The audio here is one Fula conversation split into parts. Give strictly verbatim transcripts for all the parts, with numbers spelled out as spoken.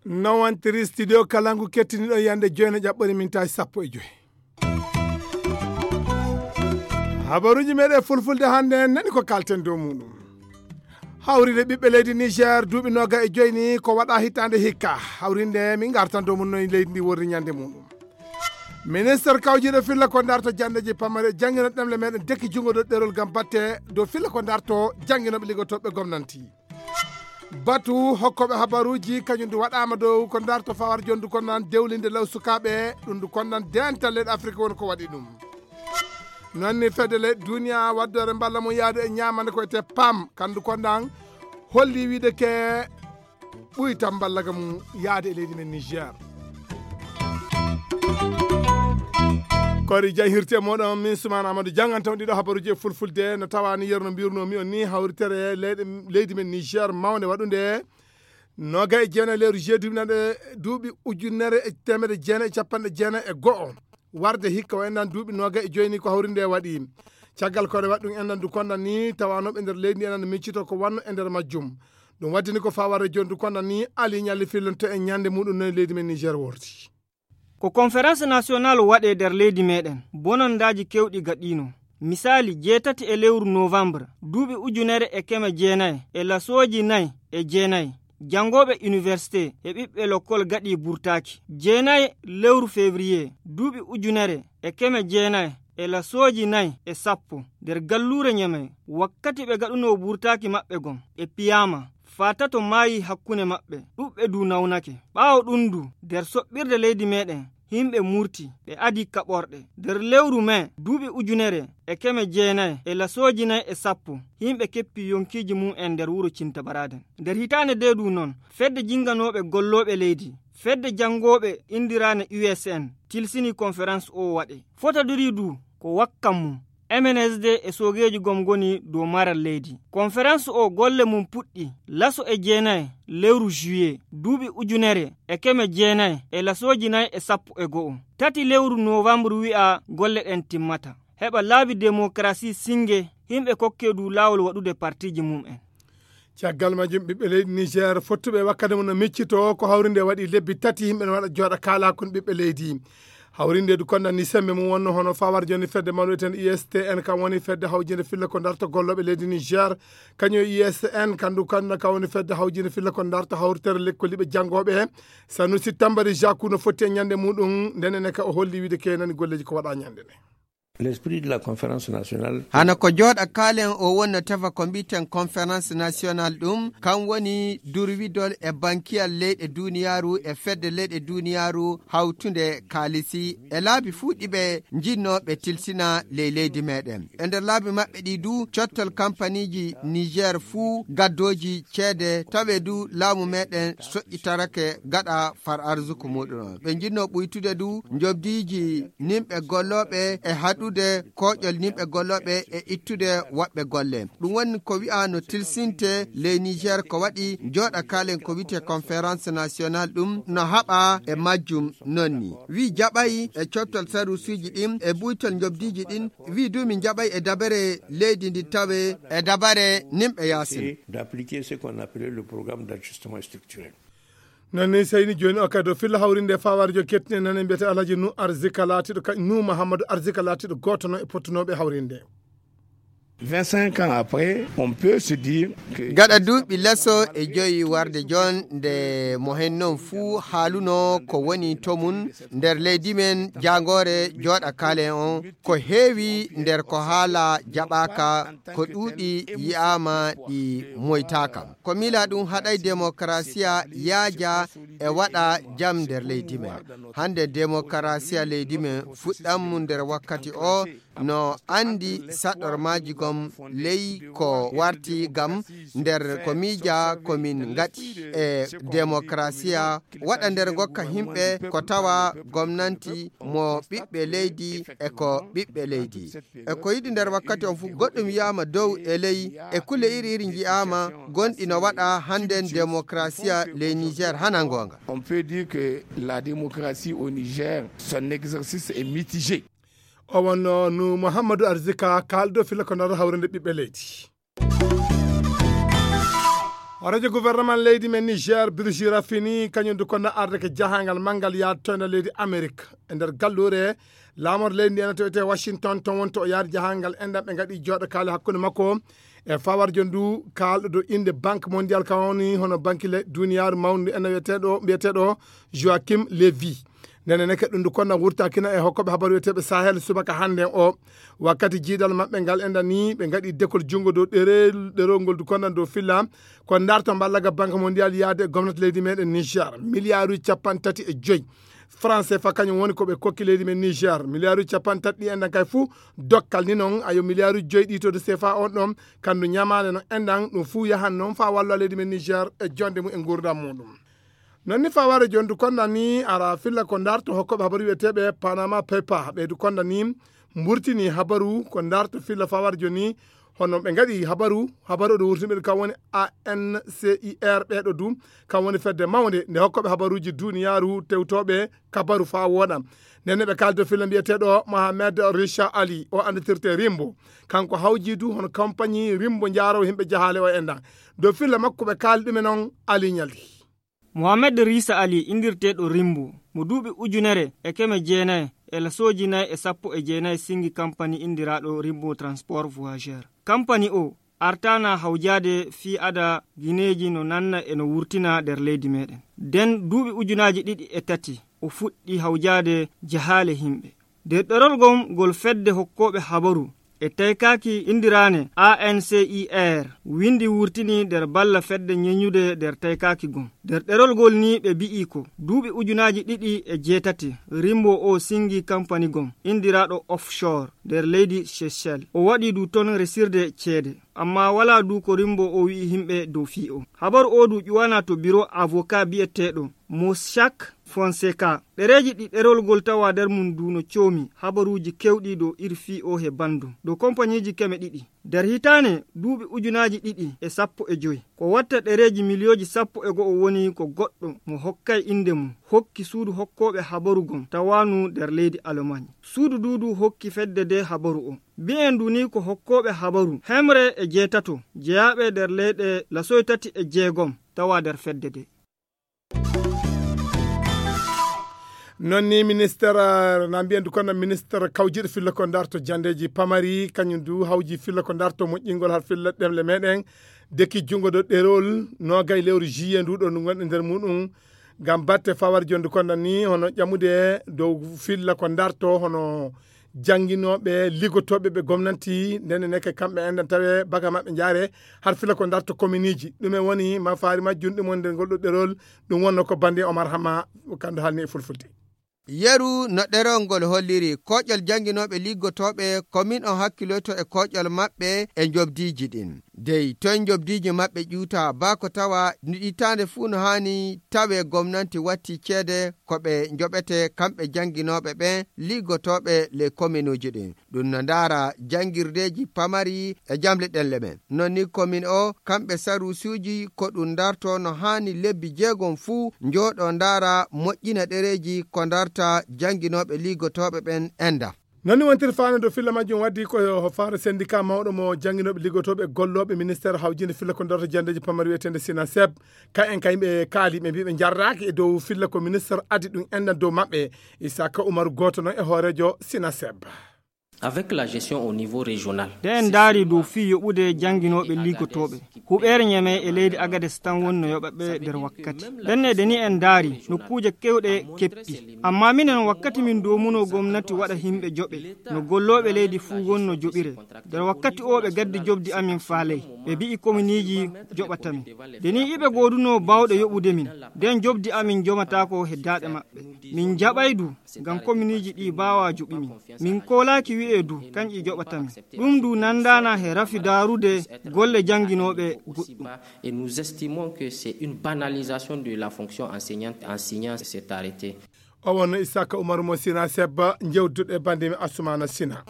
Nawantiri studio Kalangu kettiniɗo yande joyno ƴaɓɓori mintaji sappo e joyi. Habaruji meɗen fulfulde hannde nani ko kalten dow muɗum. Hawrinde ɓiɓɓe leydi Niger duuɓi noga e joyi ni ko waɗa hitande hikka. Hawrinde min gartan dow mum noy leydi ndi worri ñande muɗum. Ministre kawjiɗo filla ko darto jandeji pamare jangino ɗemle meɗen dekki jungo dow ɗerol gam batte dow filla ko darto janginoɓe liggotoɓe gomnanti. Batu hokkoɓe habaruji kañum du waɗama dow ko darto fawar jondu konnan dewlinde law sukaɓe ɗum du konnan dental leyɗe Afrique won ko waɗi ɗum. Nonni fedde leyɗe duniya waddore mballa mum yaade e ñamande ko ete pam kandu konnan holli wiide ke ɓuy tan mballaga mum yaade e leydi men Niger. Kori jay hirte moɗon min Suman Amadou jangan taw ɗiɗo habaruji e fulfulde no tawani yerno mbirnomi on ni hawritere leyɗe leydi men Niger mawnde waɗunde noga e jeenayi lewru juillet duuɓi nande duuɓi ujunere e temedde jeenayi e capanɗe jeenayi e go'o. Warde hikka o enɗan duuɓi noga e joyni ko hawrinde waɗi. Caggal koɗe waɗi ɗum enɗan du konɗan ni tawanoɓe nder leydi ndi enɗan miccito ko wanno e nder majjum. Ɗum waddini ko faware joni du konɗan ni ali ñalli fillonto e ñande muɗum no e leydi men Niger worti. Ko conférence nationale waɗe nder leydi meɗen bonondaji kewɗi gaɗino. Misali jeetati e lewru novembre duuɓi ujunere e keme jeenayi e lasooji nayi e jeenayi. Jangooɓe université e ɓiɓɓe lokkol gaɗi burtaaki. Jeenayi lewru février duuɓi ujunere e keme jeenayi e lasooji nayi e sappo nder galluure Ñamey wakkati ɓe gaɗunoo burtaaki maɓɓe gom ɓe piyaama. Faatato maayi hakkunde maɓɓe ɗuɓɓe du nawnake. Ɓaawo ɗum du nder soɓɓirde leydi meɗen himɓe murti ɓe adi kaɓorɗe. Nder lewru mai duuɓi ujunere e keme jeenayi e lasooji nayi e sappo himɓe keppi yonkiiji mum en nder wuro Cintabaraden. Nder hitaande nde du noon fedde jinganooɓe gollooɓe leydi fedde janngooɓe inndiraane U S N tilsini konferans o waɗe. Fotodiri du ko wakkan mum M N S D e soogeeji gom ngoni dow maral leydi. Konferans o golle mum puɗɗi laso e jeenayi lewru juillet duuɓi ujunere e keme jeenayi e lasooji nayi e sappo e go'o. Tati lewru novembre wi'a golle ɗen timmata. Heɓa laabi demokarasi singe himɓe kokke du laawol waɗude partiji mum en. Caggal majjum ɓiɓɓe leydi Niger fottuɓe wakkati mum no miccito ko hawrinde waɗi lebbi tati yimɓe no waɗa jooɗa kaalakun ɓiɓɓe leydi. Hawrinde du konda ni sembe mum wonno hono fawar joni fedde mawɗo eten U S T N kam woni fedde hawjinde filla ko darta golloɓe leydi Niger. Kañum U S N kandu kanna ka woni fedde hawjinde filla ko darta hawritere lekkoliɓe janngoɓe. Sanusi Tambari Jaku no fotti e ñande muɗum ndenen ka o holli wiide ke nani golleji ko waɗa ñande nde. L'esprit de la conférence nationale. Hana ko jooɗa kaalen o wonno tefa ko mbiten conférence nationale ɗum kan woni durwidol e bankiyal leyɗe duniyaaru e fedde leyɗe duniyaaru hawtunde kaalisi e laabi fuu ɗiɓe jinnooɓe tilsina ley leydi meɗen. E nder laabi maɓɓe ɗi du cottol kampaniiji Niger fuu gaddooji ceede tawe du laamu meɗen soƴƴitarake gaɗa far arzuku muɗum on. Ɓe jinnoo ɓuytude du njobdiiji nimɓe gollooɓe e haɗude kooƴol nimɓe gollooɓe e ittude woɓɓe golle. Ɗum woni ko wi'aa no tilsinte ley Niger ko waɗi jooɗa kaalen ko wiyetee conférence nationale ɗum no haɓa e majjum noon ni. Wi jaɓay e cottal sarusuuji ɗin e buytol njobdiiji ɗin wi du min jaɓay e dabere leydi ndi tawe e dabare nimɓe yaasin. D'appliquer ce qu'on appelait le programme d'ajustement structurel. Noon ni seyni jooni o kadi o filla hawrinde fawarjo kettine nane mbiyete Alhaji Nu Arzika laatiɗo ka Nu Mahamadou Arzika laatiɗo gooto noon e pottunooɓe hawrinde. Vingt-cinq ans après, on peut se dire que gaɗa duuɓi leso e joyi warde jon nde mo hen noon fuu haaluno ko woni to mum nder leydi men jaangoore jooɗa kaale on ko heewi nder ko haala jaɓaaka ko ɗuuɗi yi'aama ɗi moytaaka. Ko miila ɗum haɗay demokarasiya yaaja e waɗa jam nder leydi men. Hannde demokarasiya leydi men fuɗɗam mum nder wakkati o no anndi saɗormaaji gom ley ko warti gam nder ko miija ko min ngaɗi e demokrasiya waɗa nder ngokka himɓe ko tawa gomnanti mo ɓiɓɓe leydi e ko ɓiɓɓe leydi. E ko yiɗi nder wakkati on fof goɗɗum wiyaama dow e ley e kulle iri iri njiyaama gonɗi no waɗa hannden demokrasiya ley Niger hana ngoonga. On peut dire que la démocratie au Niger, son exercice est mitigé. O wonno nu Mouhamadou Arzika kaalɗo fila ko nder hawrinde ɓiɓɓe leydi. Horeejo gouvernement leydi men Niger, Birji Rafini, kañum du kono arde ko jahangal manngal yaade to nder leydi Amerik. E nder galluure laamorde leydi ndi ena tewete Washington, ton woni to o yaadi jahangal enɗam ɓe ngaɗi jooɗo kaali hakkunde makko e fawarjo ndu kaalɗo do innde Banque Mondiale, ka woni hono banki le duniyaaru mawndu ena wiyeteeɗo, mbiyeteeɗo Joachim Levy. Ndene neke ɗum ndu konna wurtakina e hokkoɓe habaru wiyeteeɓe Sahel subaka hannden o. Wakkati jiidal maɓɓe ngal enda ni ɓe ngaɗi dekol junngo dow ɗerel, ɗerol ngol du konnan dow filla ko ndarto mballaga Banque Mondiale yaade e gomnati leydi meɗen Niger. Miliyaaruji capanɗe tati e joyi franc C F A kañum woni ko ɓe kokki leydi men Niger. Miliyaaruji capanɗe tati ɗi enɗan kay fuu dokkal ni noon ayo miliyaaruji joyi ɗi to de C F A on ɗon kandu ñamaande no enɗan ɗum fuu yahan noon faa wallo leydi men Niger e jonde mum e nguurndam muɗum. Non ni faware jondu konda ni ara filla ko ndarto hokkoɓe habaru wiyeteɓe Panama Paper ɓeydu konda ni mburtini habaru ko ndarto filla faware joni hono ɓe ngaɗi habaru habaru ɗo wurtiniɓe kam woni A N C I R ɓeɗo du kam woni fedde mawnde nde hokkoɓe habaruji duniyaru tewtoɓe kabaru fa woɗa. Nden ɓe kaldo filla mbiyeteɗo Mohamed Richa Ali o anditirte Rimbo kanko hawji du hono kampanyi Rimbo jaro himɓe jahale o enɗa dow filla makko ɓe kaali ɗumen on Ali Ñaldi. Mohamed Risa Ali indirteeɗo Rimbo mo duuɓi ujunere e keme jeenayi e lasooji nayi e sappo e jeenayi sinngi kampani inndiraaɗo Rimbo Transport Voyageur. Kampani o artaana hawjaade fii ada gineeji no nanna e no wurtina nder leydi meɗen. Nden duuɓi ujunaaji ɗiɗi e tati o fuɗɗi hawjaade jahaale himɓe. Nder ɗerol gom ngol fedde hokkooɓe habaru e taykaaki inndiraane A N C I R winndi wurtini nder balla fedde ñeñude nder taykaaki gom. Nder ɗerol ngol ni ɓe bi'i ko duuɓi ujunaaji ɗiɗi e jeetati rimbo o sinngi kampani gom inndiraaɗo offshore nder leydi Seychelles. O waɗi du ton resirde ceede. Amma walaa du ko rimbo o wi'i himɓe dow fii o. Habaru o du ƴuwana to biro avocat bi'eteeɗo Mossack Fonseca. Ɗereeji ɗi ɗerol ngol tawa nder mum du no coomi habaruuji kewɗi dow irfii o he banndum dow kompaniiji keme ɗiɗi. Nder hitaande duuɓi ujunaaji ɗiɗi e sappo e joy, ko watta ɗereeji miliyooji sappo e go'o woni ko goɗɗo mo hokkay innde mum hokki suudu hokkooɓe habaru gom tawaanu nder leydi Alemañ. Suudu du du hokki fedde nde habaru o. Mbi'en du ni ko hokkooɓe habaru hemre e jeetato jeyaaɓe nder leyɗe lasoy tati e jeegom tawa nder fedde nde. Non ni minister na mbiyen du kono minister kawjiɗo filla ko darto jandeji pamari kañum du hawji filla ko darto moƴƴingol har filla ɗemle meɗen deki jungo do ɗerol nogay lewru juillet ndu ɗo ndu gonɗe nder muɗum ngam batte fawar jondu kono ni hono ƴamude dow filla ko darto hono jannginooɓe liggotooɓe ɓe gomnanti ndene neke kamɓe enɗan tawe baga maɓɓe njaare har fila ko darto kominiji ɗume woni ma faari majjum ɗum wonde ngol ɗo ɗerol. Ɗum wonno ko bande Omar Hama kandu haalni e fulfulde. Yeru no ɗerol ngol holliri koƴol jannginooɓe liggotooɓe komin on hakkiloyto e koƴol maɓɓe e njobdiiji ɗin dey toye njobdiiji maɓɓe ƴuuta baa ko tawa no ƴittaande fuu no haani tawe gomnanti watti ceede ko ɓe njoɓete kamɓe jannginooɓe ɓen liggotooɓe ley kominuuji ɗin. Ɗum no ndaara janngirdeeji pamari e jamle ɗenle men. Non ni komin o kamɓe saruusuuji ko ɗum ndarto no haani lebbi jeegom fuu njooɗo ndaara moƴƴina ɗereeji ko ndarta jannginooɓe liggotooɓe ɓen enda. Non ni wontir faandu filla majjum waddi ko faare sendika mawɗo mo jannginooɓe liggotooɓe gollooɓe ministeer hawjinde filla ko ndarta janndeeji pamari wiyeteende sinaseb. Ka en kay ɓe kaali ɓe mbiɓe jarraaki e dow filla ko ministeer addi ɗum enɗan dow maɓɓe. Isaka Umaru gooto noon e hooreejo sinaseb. Avec la gestion au niveau régional. Nde en ndaari dow fii yoɓude jannginooɓe liggotooɓe huɓeere ñeme e leydi Agades tan woni no yoɓaɓe nder wakkati. Ndennede ni en ndaari nokkuuje kewɗe keppi. Amma minen wakkati min doomunoo gomnati waɗa himɓe joɓe no gollooɓe leydi fuu woni no joɓire. Nder wakkati o ɓe gaddi jobdi amin faaley ɓe mbi'i kominiiji joɓatamin. Nde ni iɓe goodunoo baawɗe yoɓude min nden jobdi amin jomataako he daaɗe maɓɓe. Min jaɓay du ngam kominiiji ɗi baawaa joɓi min. Min koolaaki wi'e e du, kanƴi joɓata min. Ɗum du nandaana he rafi daarude golle jannginooɓe goɗɗum. Et nous estimons que c'est une banalisation de la fonction enseignante en signant cet arrêté. O wonno Isaka Umaru mo Sina Sebba, jewtuɗo e bannde mi Asumana Sina.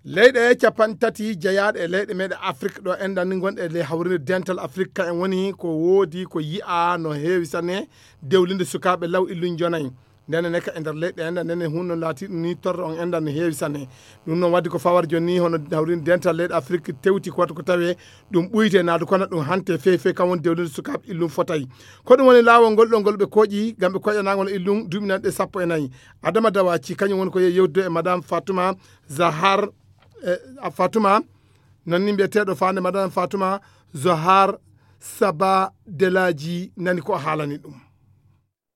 Leyɗe capanɗe tati jeyaaɗe e leyɗe meɗe Afrik ɗo enɗan ni gonɗe e ley hawrinde dental Afrik, ka en woni ko woodi ko yi'a no heewi sanne dewlinde sukaaɓe law illun jonayi. Ndene ne ka e nder leyɗe enɗan, ndene hunno laati ɗum ni torra on enɗan no heewi sanne. Ɗum noon waddi ko fawar joni ni hono hawrinde dental leyɗe Afrik tewti ko waɗi ko tawe ɗum ɓuyte naadu kono ɗum hante feewi feewi kam woni dewlinde sukaaɓe illun fotay. Ko ɗum woni laawol ngol ɗo ngol ɓe kooƴi ngam ɓe koƴanagol illun duuɓi nanɗe sappo e nayi. Adama Dawaci kañum woni ko yehi yewtude e Madame Fatuma Zahar, eh, Fatuma, noon ni mbiyeteeɗo faande Madame Fatuma Zohar Saba Delaji nani ko o haalani ɗum.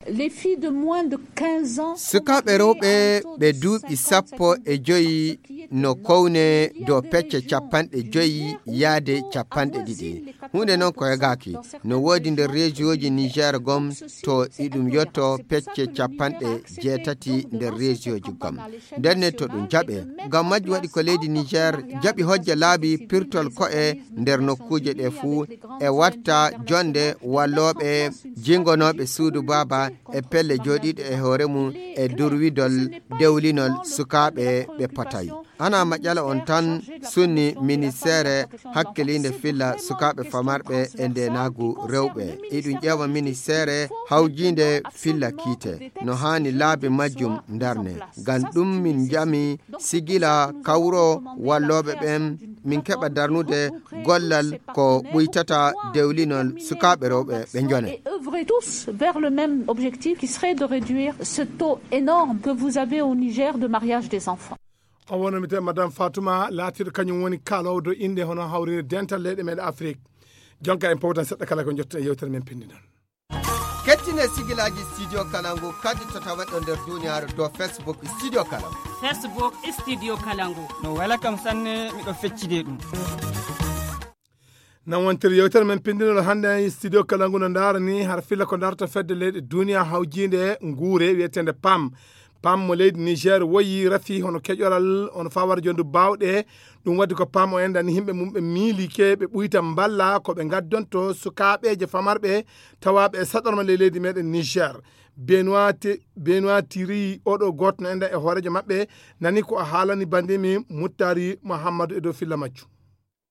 Les filles de moins de quinze ans. Sukaaɓe rewɓe ɓe duuɓi sappo e joyi no kowne dow pecce capanɗe joyi yaade capanɗe ɗiɗi. Huunde noon ko hegaaki. No woodi nder reesiyooji Niger gom to iɗum yotto pecce capanɗe jeetati nder reesiyooji gom. Nden ne to ɗum jaɓe. Ngam majjum waɗi ko leydi Niger jaɓi hojja laabi pirtol ko'e nder nokkuuje ɗe fuu e watta jonde wallooɓe jingonooɓe suudu baaba e pelle jooɗiiɗe e hoore mum e durwidol dewlinol sukaaɓe ɓe potay. Ana maƴala on tan sunni ministeere hakkiliinde filla sukaaɓe famarɓe e ndeenaagu rewɓe. Iɗum ƴeewa ministeere hawjiinde filla kiite no haani laabi majjum ndarne. Ngam ɗum min njami sigila kawro wallooɓe ɓen min keɓa darnude gollal ko ɓuytata dewlinol sukaaɓe rewɓe ɓe njone. Et œuvrer tous vers le même objectif qui serait de réduire ce taux énorme que vous avez au Niger de mariage des enfants. O wonno mi tawi Madame Fatuma laatiiɗo kañum woni kaaloowo dow innde hono hawrinde dental leyɗe meɗen Afrik. Jonka en powtan seɗɗa kala ko njotten e yewtere men pinndinal. Kettine sigilaaji Studio Kalangu kadi to taweɗo nder duniyaaru dow Facebook Studio Kalangu. Facebook Studio Kalangu. No wela kam sanne, miɗo feccide ɗum. Nan wontiri yewtere men pinndinol hannde e Studio Kalangu no ndaara ni har filla ko darta fedde leyɗe duniya hawjiinde nguure wiyeteende pam. Pam mo leydi Niger woyi rafi hono keƴoral on fawar jondu baawɗe. Ɗum waddi ko pam o enɗan ni yimɓe mum ɓe miilike ɓe ɓuyta mballa ko ɓe ngaddonto sukaaɓeeje famarɓe tawaaɓe e saɗorma ley leydi meɗen Niger. Benoit Ti-, Benoit Thierry oɗo gooto no enɗan e hooreejo maɓɓe nani ko o haalani bandimi Muttari Muhammadu e dow filla majju.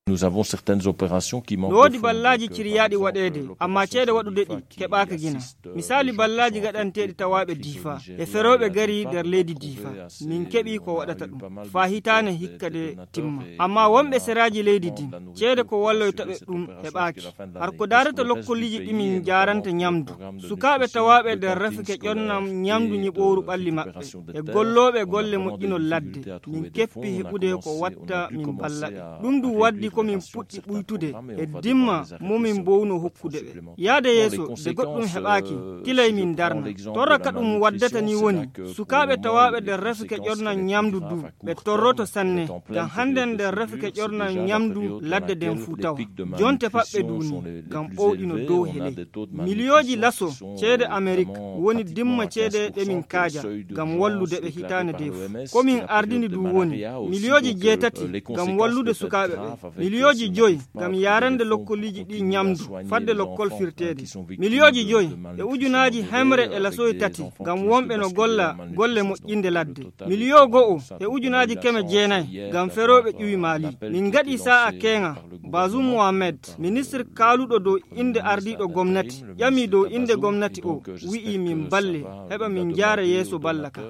Nous avons certaines opérations qui manquent. No woodi ballaaji ciriyaaɗi waɗeede, ammaa ceede waɗude ɗi keɓaaka gina. Misaali ballaaji gaɗanteeɗi tawaaɓe Diifa e ferooɓe gari nder leydi Diifa. Min keɓi ko waɗata ɗum faa hitaane hikka de timma. Ammaa wonɓe seraaji leydi din, ceede ko walloyta ɓe ɗum heɓaaki. Har ko daarata lokkoliji ɗi min njaaranta ñamdu. Sukaaɓe tawaaɓe nder rafike ƴonnam ñamdu ñiɓooru ɓalli maɓɓe. E gollooɓe golle moƴƴinol ladde. Min keppi heɓude ko watta min mballa ɓe. Ɗum du waddi ko min puɗɗi ɓuytude e dimma mo min mbowno hokkude ɓe. Yaade yeeso, de goɗɗum heɓaaki, tilay min darna. Torra ka ɗum waddata ni woni, sukaaɓe tawaaɓe nder rafike ƴonnam ñamdu du, ɓe torroto sanne, ngam hannden nder rafike ƴornal ñamdu ladde nden fuu tawa. Jonte paɓɓe du ni, ngam ɓowɗino dow he ley. Miliyooji laso ceede Amerik woni dimma ceede ɗe min kaaja, ngam wallude ɓe hitaande de fuu. Ko min ardini du woni, miliyooji jeetati ngam wallude sukaaɓe ɓe, miliyooji joy ngam yaarande lokkoliji ɗi ñamdu, fadde lokkol firteede. Miliyooji joy e ujunaaji hemre e lasoy tati ngam wonɓe no golla golle moƴƴinde ladde. Miliyo go'o e ujunaaji keme jeenayi ngam ferooɓe ƴuwi Maali. Min ngaɗi saa'a keeŋa, Bazoum Mohamed, ministre kaaluɗo dow innde ardiiɗo gomnati, ƴami dow innde gomnati o, wi'i min mballe, heɓa min njaara yeeso balla ka.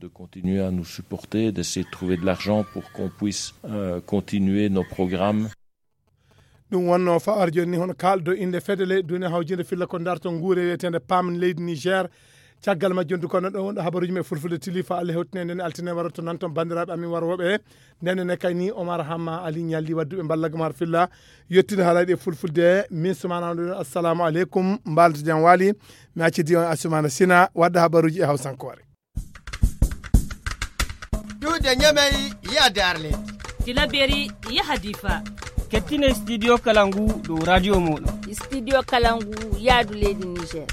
De continuer à nous supporter, d'essayer de trouver de l'argent pour qu'on puisse, euh, continuer nos programmes. Ɗum wonno fa'ar jooni ni hono kaalɗo innde fedde leyɗe duniya hawjinde filla ko darto nguure wiyeteende pam leydi Niger. Caggal majjum du kono ɗo wonɗo habaruuji men fulfulde tili fa Allah hewtine nden altine waro to nan ton banndiraaɓe amin warwooɓe. Nden ne kay ni Omar Hamma Ali Ñalli wadduɓe mballagam har filla yettude haalaaji ɗi fulfulde. Min Sumana on ɗon assalamu aleykum, mbaalto jam waali. Mi accidi on Asumana Sina wadda habaruuji e hawsankoore. Duude Ñamey yaha Darledi. Tilaberi yaha Difa. Kettine studio kala ngu dow radio mooɗon. Studio kala ngu yaadu leydi Niger.